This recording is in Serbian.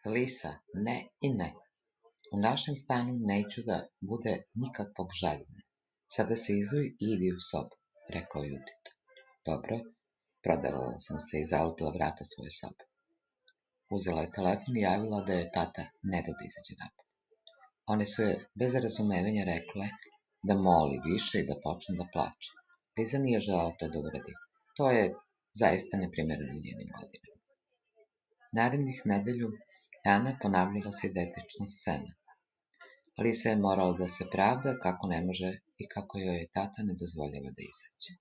Lisa, ne i ne. U našem stanu neću da bude nikakvog žaljenja. Sada se izuj i idi u sobu, rekao Judito. Dobro, prodavala sam se i zalupila vrata svoje sobe. Uzela je telefon i javila da je tata ne da izađe napolje. One su je bez razumevanja rekle da moli više i da počne da plače. Liza nije želela to da uradi. To je zaista neprimereno njenim godinama. Narednih nedelju dana ponavljala se identična scena. Lisa je morala da se pravda kako ne može i kako joj je tata ne dozvoljava da izađe.